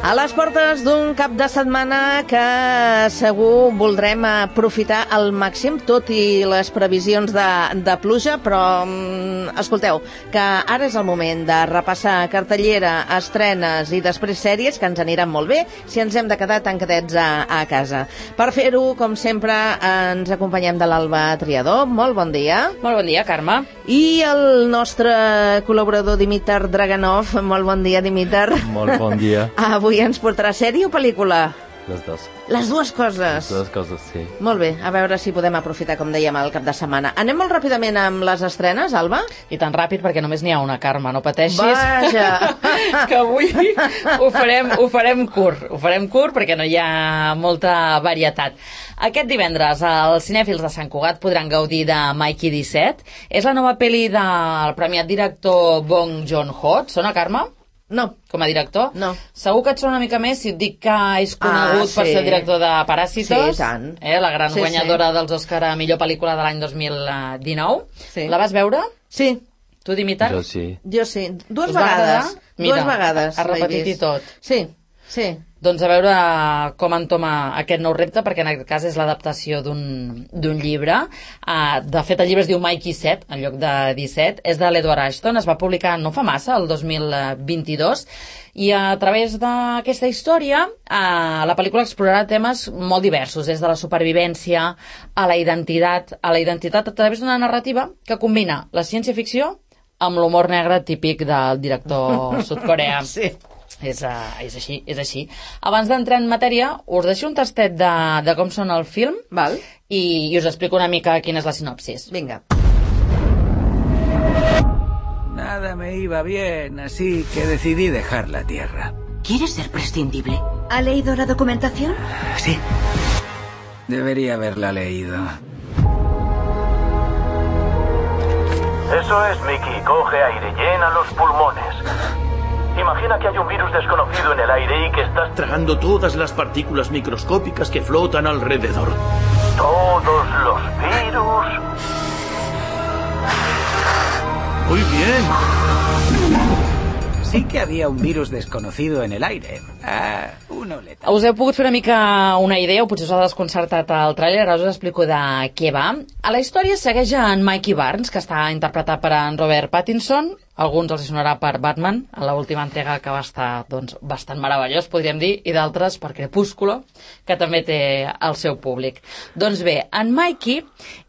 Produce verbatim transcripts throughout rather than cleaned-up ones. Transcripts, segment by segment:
A les portes d'un cap de setmana que segur voldrem aprofitar al màxim, tot i les previsions de, de pluja, però mm, escolteu, que ara és el moment de repassar cartellera, estrenes i després sèries que ens aniran molt bé si ens hem de quedar tancadets a, a casa. Per fer-ho, com sempre, ens acompanyem de l'Alba Triador. Molt bon dia. Molt bon dia, Carme. I el nostre col·laborador Dimitar Draganov. Molt bon dia, Dimitar. Molt bon dia. Avui ens portarà sèrie o pel·lícula? Les dues. Les dues coses. Les dues coses, sí. Molt bé, a veure si podem aprofitar, com dèiem, el cap de setmana. Anem molt ràpidament amb les estrenes, Alba? I tan ràpid perquè només n'hi ha una, Carme, no pateixis. Vaja! Que avui ho farem, ho farem curt. Ho farem curt perquè no hi ha molta varietat. Aquest divendres els cinèfils de Sant Cugat podran gaudir de Mikey disset. És la nova pel·li del premiat director Bong Joon-ho. Et sona, Carme? No. Com a director? No. Segur que et sona una mica més si et dic que és conegut ah, sí. per ser director de Paràsitos. Sí, tant. Eh, la gran sí, guanyadora sí. dels Òscar a millor pel·lícula de l'any dos mil dinou. Sí. La vas veure? Sí. Tu, Dimitar? Jo sí. Jo sí. Dues Us vegades. Mira, Dues vegades. ha repetit i tot. Sí, sí. Doncs a veure com entoma aquest nou repte, perquè en aquest cas és l'adaptació d'un llibre. Uh, de fet, el llibre es diu Mikey set, en lloc de disset. És de l'Edward Ashton, es va publicar no fa massa, el dos mil vint-i-dos, i a través d'aquesta història uh, la pel·lícula explorarà temes molt diversos, des de la supervivència a la identitat, a la identitat a través d'una narrativa que combina la ciència-ficció amb l'humor negre típic del director sud-coreà. Sí. És, uh, és així, és així. Abans d'entrar en matèria, us deixo un tastet de, de com sona el film. Val. I, i us explico una mica quina és la sinopsis. Vinga. Nada me iba bien, así que decidí dejar la Tierra. ¿Quieres ser prescindible? ¿Ha leído la documentación? Sí. Debería haberla leído. Eso es, Mickey. Coge aire, llena los pulmones. Imagina que hay un virus desconocido en el aire y que estás tragando todas las partículas microscópicas que flotan alrededor. Todos los virus. Muy bien. Sí que había un virus desconocido en el aire. Ah, uno letal. Us heu pogut fer una mica una idea, o potser us ha desconcertat el tràiler, ara us explico de què va. A la història segueix en Mikey Barnes, que està interpretat per en Robert Pattinson. Alguns els sonarà per Batman, a l'última entrega que va estar doncs, bastant meravellós, podríem dir, i d'altres per Crepúsculo, que també té el seu públic. Doncs bé, en Mikey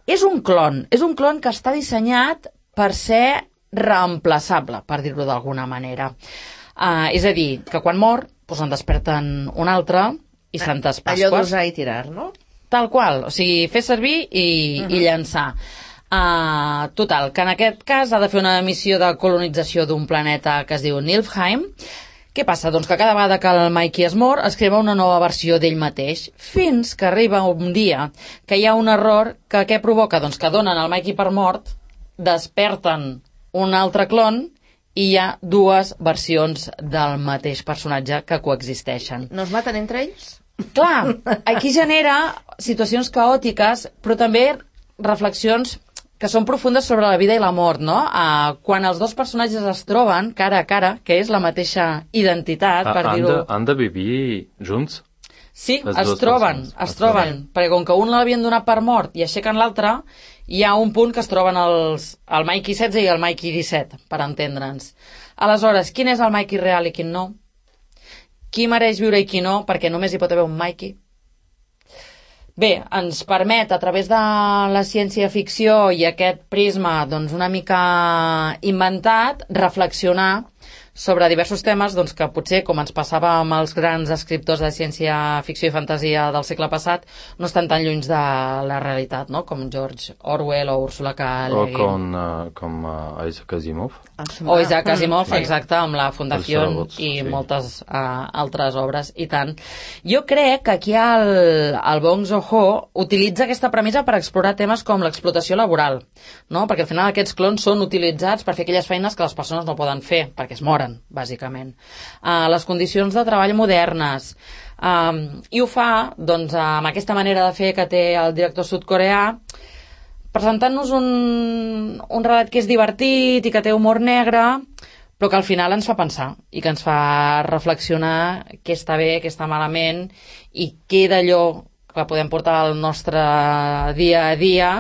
és un clon, és un clon que està dissenyat per ser reemplaçable, per dir-ho d'alguna manera. Uh, és a dir, que quan mor, doncs en desperten un altre i Santes Pasques. Allò d'usar i tirar, no? Tal qual, o sigui, fer servir i, uh-huh. i llançar. Uh, total, que en aquest cas ha de fer una missió de colonització d'un planeta que es diu Niflheim. Què passa? Doncs que cada vegada que el Mikey es mor es crea una nova versió d'ell mateix, fins que arriba un dia que hi ha un error que què provoca? Doncs que donen el Mikey per mort, desperten un altre clon i hi ha dues versions del mateix personatge que coexisteixen. No es maten entre ells? Clar, aquí genera situacions caòtiques, però també reflexions que són profundes sobre la vida i la mort, no? Uh, quan els dos personatges es troben cara a cara, que és la mateixa identitat, per ah, dir-ho... Han, de, han de vivir junts? Sí, es troben, es, es troben, perquè com que un l'havien donat per mort i aixequen l'altre, hi ha un punt que es troben els, el Mikey setze i el Mikey disset, per entendre'ns. Aleshores, quin és el Mikey real i quin no? Qui mereix viure i qui no? Perquè només hi pot haver un Mikey. Bé, ens permet, a través de la ciència-ficció i aquest prisma doncs, una mica inventat, reflexionar sobre diversos temes doncs, que potser, com ens passava amb els grans escriptors de ciència-ficció i fantasia del segle passat, no estan tan lluny de la realitat, no? Com George Orwell o Ursula K. Le Guin. O com, uh, com uh, Isaac Asimov. O Isaac Asimov, sí. Exacte, amb la Fundació robots, i sí. moltes uh, altres obres, i tant. Jo crec que aquí el, el Bong Joon-ho utilitza aquesta premissa per explorar temes com l'explotació laboral, no? Perquè al final aquests clons són utilitzats per fer aquelles feines que les persones no poden fer, perquè es moren, bàsicament. Uh, les condicions de treball modernes. Um, I ho fa, doncs, amb aquesta manera de fer que té el director sud-coreà, presentant-nos un, un relat que és divertit i que té humor negre, però que al final ens fa pensar i que ens fa reflexionar què està bé, què està malament i què d'allò que podem portar al nostre dia a dia,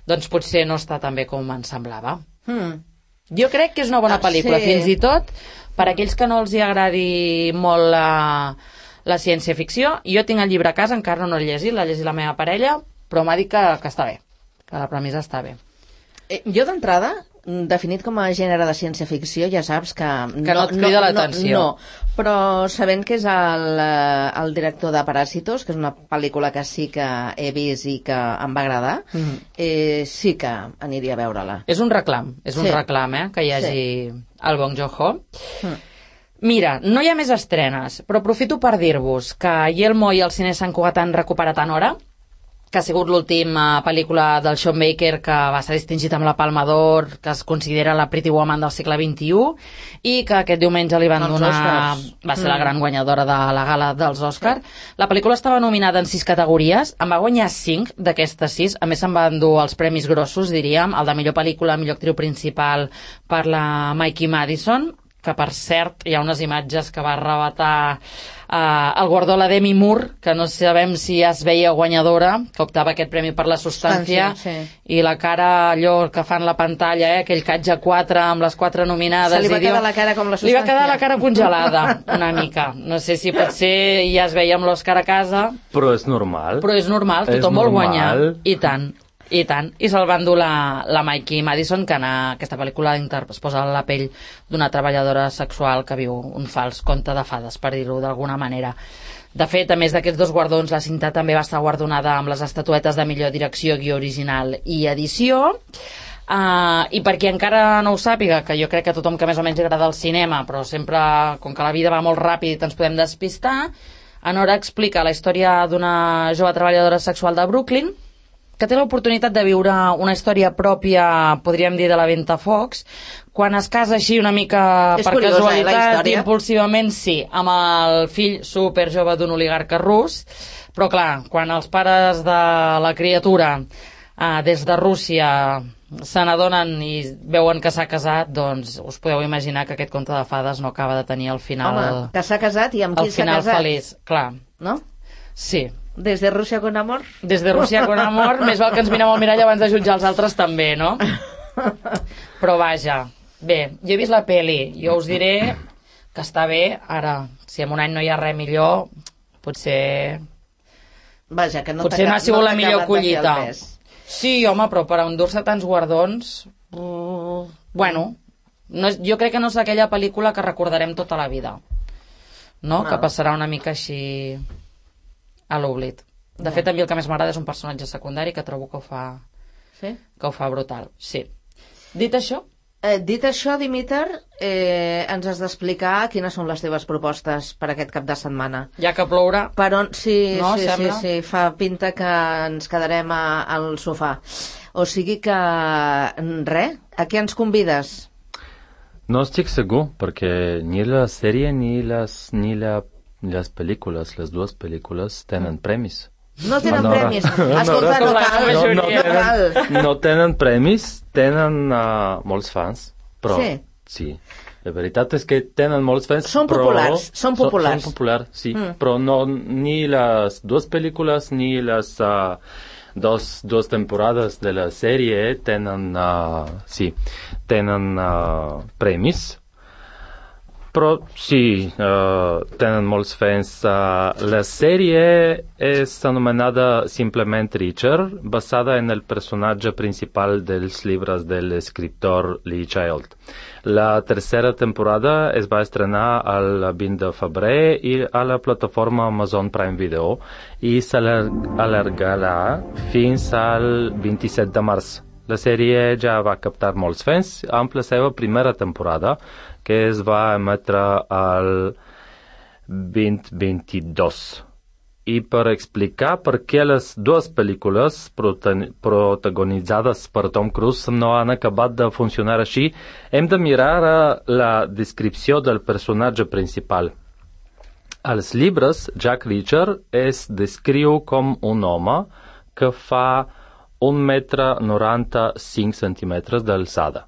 doncs potser no està tan bé com ens semblava. Hmm. Jo crec que és una bona Ah, pel·lícula, sí. fins i tot per a aquells que no els hi agradi molt la, la ciència-ficció. Jo tinc el llibre a casa, encara no l'he llegit, l'ha llegit la meva parella, però m'ha dit que, que està bé, que la premissa està bé. Eh, jo d'entrada, definit com a gènere de ciència-ficció, ja saps que... Que no et crida l'atenció. No, no, però sabent que és el, eh, el director de Parásitos, que és una pel·lícula que sí que he vist i que em va agradar, mm. eh, sí que aniria a veure-la. És un reclam, és un Sí. reclam, eh, que hi hagi Sí. el Bong Joon-ho. Mm. Mira, no hi ha més estrenes, però aprofito per dir-vos que Yelmo i el Cine Sant Cugat han recuperat en hora, que ha sigut l'última pel·lícula del Sean Baker que va ser distingit amb la Palma d'Or, que es considera la Pretty Woman del segle vint-i-u, i que aquest diumenge li van Els donar... Oscars. Va ser la Mm. gran guanyadora de la gala dels Oscars. La pel·lícula estava nominada en sis categories, en va guanyar cinc d'aquestes sis, a més se'n van dur els premis grossos, diríem, el de millor pel·lícula, millor actriu principal per la Mikey Madison, que per cert hi ha unes imatges que va arrebatar eh, el guardó a la Demi Moore, que no sabem si ja es veia guanyadora, que optava aquest premi per la substància, Substància, sí. i la cara allò que fan la pantalla, eh, aquell catge quatre amb les quatre nominades. Se li va i diu- quedar la cara com la Li va substància. quedar la cara congelada, una mica. No sé si potser ja es veia amb l'Òscar a casa, Però és normal. però és normal, És tothom vol guanyar. normal. I tant, i tant. I se'l van dur la, la Mikey Madison, que en aquesta pel·lícula inter- es posa a la pell d'una treballadora sexual que viu un fals conte de fades, per dir-ho d'alguna manera. De fet, a més d'aquests dos guardons, la cinta també va estar guardonada amb les estatuetes de millor direcció, guió original i edició. Uh, I per qui encara no ho sàpiga, que jo crec que tothom que més o menys agrada el cinema, però sempre, com que la vida va molt ràpid i ens podem despistar, en hora explica la història d'una jove treballadora sexual de Brooklyn que té l'oportunitat de viure una història pròpia, podríem dir, de la Ventafocs, quan es casa així una mica És per curiosa, eh, la casualitat, història. impulsivament, sí, amb el fill superjove d'un oligarca rus, però clar, quan els pares de la criatura eh, des de Rússia se n'adonen i veuen que s'ha casat, doncs us podeu imaginar que aquest conte de fades no acaba de tenir el final, Home, que s'ha casat i amb qui el s'ha final casat, feliç, clar, no? sí. Des de Rússia con amor? Des de Rússia con amor, més val que ens mirem al mirall abans de jutjar els altres també, no? Però vaja, bé, jo he vist la peli, jo us diré que està bé, ara, si en un any no hi ha res millor, potser... Vaja, que no potser no ha sigut la millor collita. collita. Sí, home, però per endur-se tants guardons... Uh, bueno, no és, jo crec que no és aquella pel·lícula que recordarem tota la vida, no? No. Que passarà una mica així a l'oblit. De Ja. fet, a mi el que més m'agrada és un personatge secundari que trobo que ho fa, Sí? que ho fa brutal, sí. Dit això, Eh, dit això, Dimitar, eh, ens has d'explicar quines són les teves propostes per aquest cap de setmana. ja que plourà, Per on... Sí, No, sí, sí, sembla? sí, fa pinta que ens quedarem a, al sofà. O sigui que, res, a què ens convides? No estic segur, perquè ni la sèrie ni les, ni la, les pel·lícules, les dues pel·lícules tenen premis. No tenen Nora. premis. Escolta, Com no la cal, majoria. no, no cal. tenen, no tenen premis, tenen uh, molts fans, però Sí. sí. La veritat és que tenen molts fans, Són però... populars, són populars. Són populars, sí, Mm. però no, ni les dues pel·lícules ni les uh, dos, dos temporades de la sèrie tenen, uh, sí, tenen uh, premis. Però sí, uh, tenen molts fans. Uh, la sèrie és anomenada simplement Richard, basada en el personatge principal dels llibres de l'escriptor Lee Child. La tercera temporada es va estrenar el vint de febrer i a la plataforma Amazon Prime Video i s'allargarà fins al vint-i-set de març. La sèrie ja va captar molts fans amb la seva primera temporada, que es va emetre al vint vint-i-dos. I per explicar per què les dues pel·lícules prota- protagonitzades per Tom Cruise no han acabat de funcionar així, hem de mirar a la descripció del personatge principal. Als llibres, Jack Reacher es descriu com un home que fa un metre noranta-cinc centímetres d'alçada.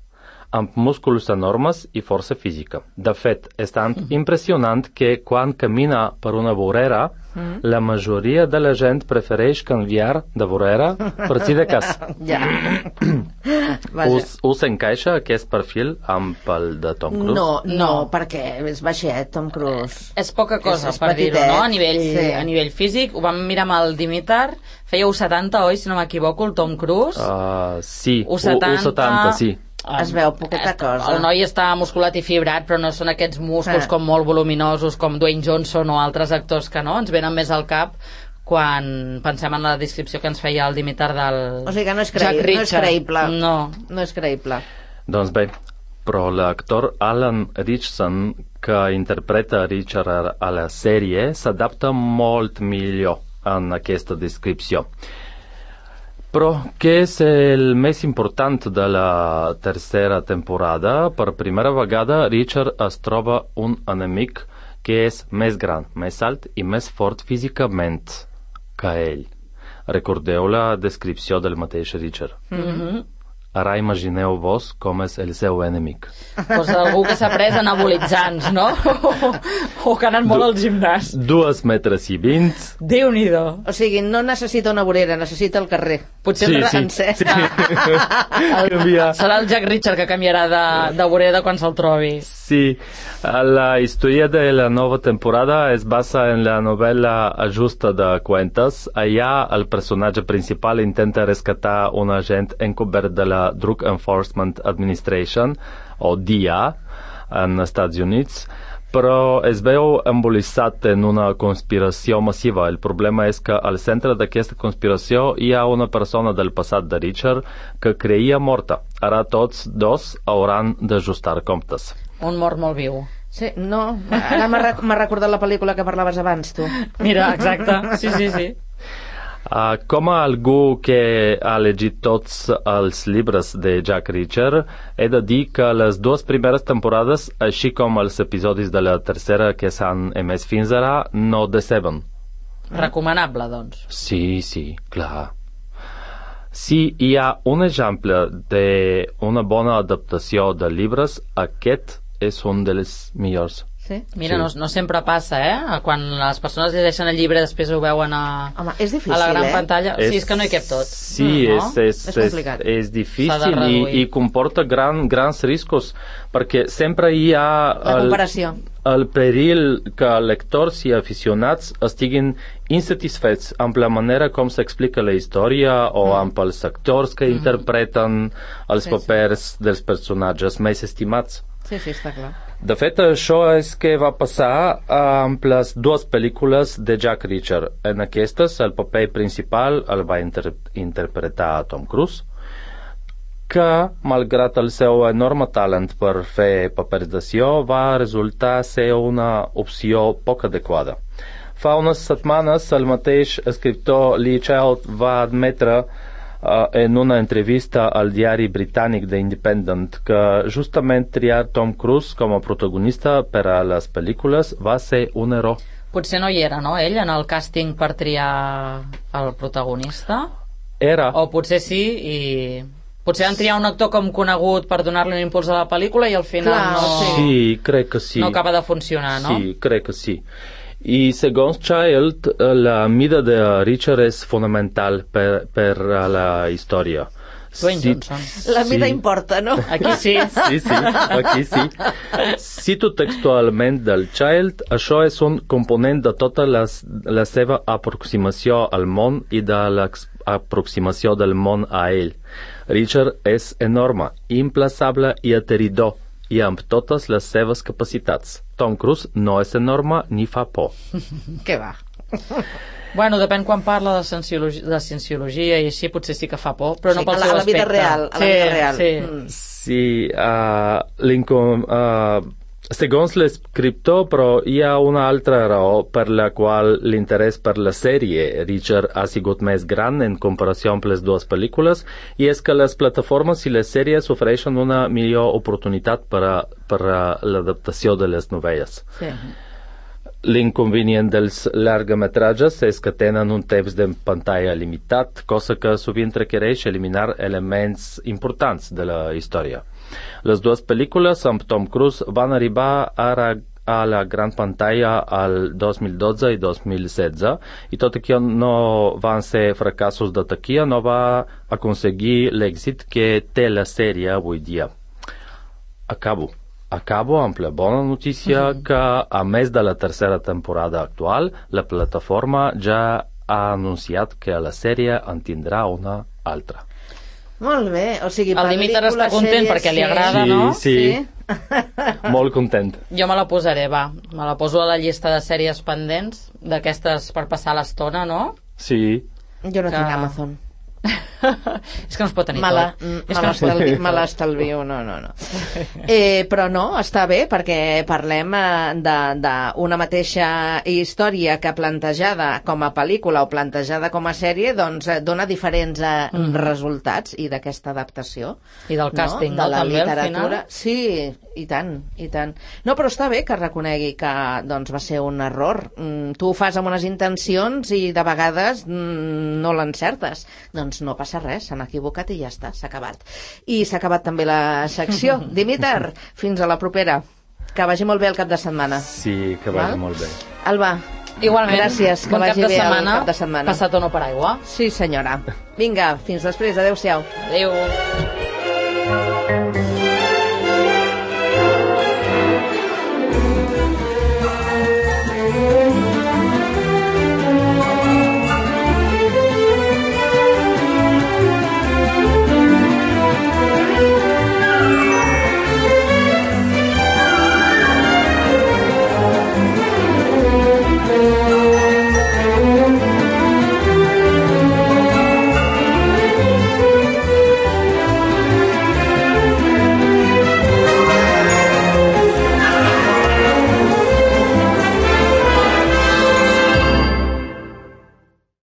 amb músculs enormes i força física. De fet, és tan impressionant que quan camina per una vorera, mm. la majoria de la gent prefereix canviar de vorera per si de cas. Ja. us, us encaixa aquest perfil amb el de Tom Cruise? No, no, perquè és baixet, Tom Cruise. És poca cosa, és, és per dir-ho, no? A nivell, sí. a nivell físic, ho vam mirar amb el Dimitar, feia u setanta, oi, si no m'equivoco, el Tom Cruise? Uh, sí, u setanta, u setanta, sí. Es veu poqueta cosa. El noi està musculat i fibrat, però no són aquests músculs ah. com molt voluminosos, com Dwayne Johnson o altres actors que no, ens venen més al cap quan pensem en la descripció que ens feia el Dimitar del o sigui que no és, creï no és creïble. No. No és creïble. Doncs bé, però l'actor Alan Ritchson, que interpreta Richard a la sèrie, s'adapta molt millor en aquesta descripció. Però què és el més important de la tercera temporada? Per primera vegada, Richard es troba un enemic que és més gran, més alt i més fort físicament que ell. Recordeu la descripció del mateix Richard. Mm-hmm. Ara imagineu-vos com és el seu enemic. Pues algú que s'ha pres anabolitzants, no? O, o que ha anat molt du al gimnàs. Dos metres i vint. Déu-n'hi-do. O sigui, no necessita una vorera, necessita el carrer. Potser sí, el sí, sencer. Sí. el, serà el Jack Richard que canviarà de, de vorera quan se'l trobi. Sí, la història de la nova temporada es basa en la novel·la Ajusta de Cuentas. Allà el personatge principal intenta rescatar un agent encobert de la Drug Enforcement Administration, o D E A, en Estats Units, però es veu embolicat en una conspiració massiva. El problema és que al centre d'aquesta conspiració hi ha una persona del passat de Richard que creia morta. Ara tots dos hauran d'ajustar comptes. Un mort molt viu. Sí, no, ara m'ha rec recordat la pel·lícula que parlaves abans, tu. Mira, exacte, sí, sí, sí. Uh, com a algú que ha llegit tots els llibres de Jack Reacher, he de dir que les dues primeres temporades, així com els episodis de la tercera que s'han emès fins ara, no deceben. Recomanable, doncs. Sí, sí, clar. Si hi ha un exemple d'una bona adaptació de llibres, aquest és un dels millors. Sí? Mira, sí. no, no sempre passa, eh? Quan les persones llegeixen el llibre després ho veuen a, Home, és difícil, a la gran eh? pantalla. És, sí, és que no hi cap tot. Sí, no? és, és, és complicat. És, és difícil i, i comporta gran, grans riscos, perquè sempre hi ha la comparació. El, el perill que els lectors i aficionats estiguin insatisfets amb la manera com s'explica la història o mm. amb els actors que mm. interpreten els sí, papers sí. dels personatges més estimats. Sí, sí, està clar. De fet, això és que va passar amb les dues pel·lícules de Jack Reacher. En aquestes, el paper principal el va inter interpretar Tom Cruise, que, malgrat el seu enorme talent per fer papers d'acció, va resultar ser una opció poc adequada. Fa unes setmanes, el mateix escriptor Lee Child va admetre Uh, en una entrevista al diari britànic The Independent que justament triar Tom Cruise com a protagonista per a les pel·lícules va ser un error. Potser no hi era, no, ell, en el càsting per triar el protagonista? Era. O potser sí, i potser han triat un actor com conegut per donar-li un impuls a la pel·lícula i al final Clar, no... Sí, crec que sí. No acaba de funcionar, no? Sí, crec que sí. I segons Child, la mida de Richard és fonamental per, per a la història. Dwayne si, Johnson. La mida sí. importa, no? Aquí sí. Sí, sí, aquí sí. Cito textualment del Child, això és un component de tota les, la seva aproximació al món i de l'aproximació del món a ell. Richard és enorme, implaçable i aterridor, i amb totes les seves capacitats. Tom Cruise no és enorme ni fa por. Què va? Bueno, depèn quan parla de cienciologia, de cienciologia i així potser sí que fa por, però no sí, pel a la, seu a la vida aspecte. real, a la sí, vida real. Sí, mm. sí uh, l'incom... Uh, segons l'escriptor, però hi ha una altra raó per la qual l'interès per la sèrie Richard ha sigut més gran en comparació amb les dues pel·lícules, i és que les plataformes i les sèries ofereixen una millor oportunitat per a, per a l'adaptació de les novel·les. Sí. L'inconvenient dels llargmetratges és que tenen un temps de pantalla limitat, cosa que sovint requereix eliminar elements importants de la història. Les dues pel·lícules amb Tom Cruise van arribar ara a la gran pantalla al dos mil dotze i dos mil setze i tot i que no van ser fracassos de taquilla, no va aconseguir l'èxit que té la sèrie avui dia. Acabo. Acabo amb la bona notícia mm-hmm. que, a més de la tercera temporada actual, la plataforma ja ha anunciat que la sèrie en tindrà una altra. Molt bé, o sigui, el Dimitar està content sèries, perquè li agrada, sí, no? Sí, sí. Molt content. Jo me la posaré, va. Me la poso a la llista de sèries pendents, d'aquestes per passar l'estona, no? Sí. Jo no que... tinc Amazon. És que no es pot tenir Mala, tot. Me l'estalvio, me l'estalvio, no, no, no. Eh, però no, està bé, perquè parlem d'una mateixa història que plantejada com a pel·lícula o plantejada com a sèrie, doncs dona diferents eh, mm. resultats, i d'aquesta adaptació. I del càsting, no? De la també, literatura. Sí, i tant, i tant. No, però està bé que reconegui que doncs, va ser un error. Mm, tu ho fas amb unes intencions i de vegades mm, no l'encertes. Doncs no passa res, s'han equivocat i ja està, s'ha acabat. I s'ha acabat també la secció. Dimitar, fins a la propera. Que vagi molt bé el cap de setmana. Sí, que vagi Val? molt bé. Alba, igualment, gràcies, que bon vagi cap de bé setmana, el cap de setmana. Passat o no per aigua. Sí, senyora. Vinga, fins després, adeu-siau. Adeu.